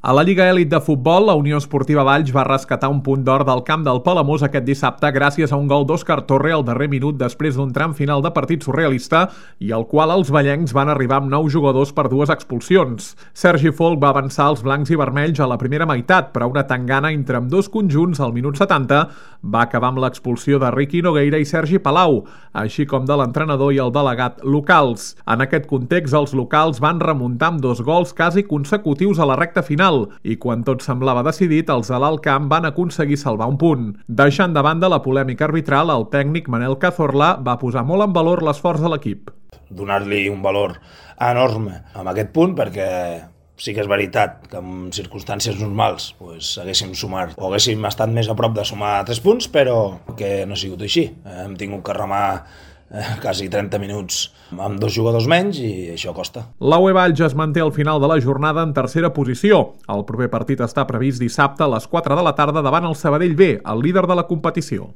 A la Lliga Elit de Futbol, la Unió Esportiva Valls va rescatar un punt d'or del camp del Palamós aquest dissabte gràcies a un gol d'Òscar Torre al darrer minut després d'un tram final de partit surrealista i al qual els vallencs van arribar amb 9 jugadors per 2 expulsions. Sergi Folch va avançar els blancs i vermells a la primera meitat, però una tangana entre ambdós conjunts al minut 70 va acabar amb l'expulsió de Riqui Nogueira i Sergi Palau, així com de l'entrenador i el delegat locals. En aquest context, els locals van remuntar amb 2 gols quasi consecutius a la recta final i quan tot semblava decidit, els de l'Alt Camp van aconseguir salvar un punt. Deixant de banda la polèmica arbitral, el tècnic Manel Cazorla va posar molt en valor l'esforç de l'equip. Donar-li un valor enorme amb aquest punt perquè sí que és veritat que en circumstàncies normals haguéssim sumat o haguéssim estat més a prop de sumar 3 punts, però que no ha sigut així. Hem tingut que remar quasi 30 minuts amb 2 jugadors menys i això costa. La UE Valls es manté al final de la jornada en tercera posició. El proper partit està previst dissabte a les 4 de la tarda davant el Sabadell B, el líder de la competició.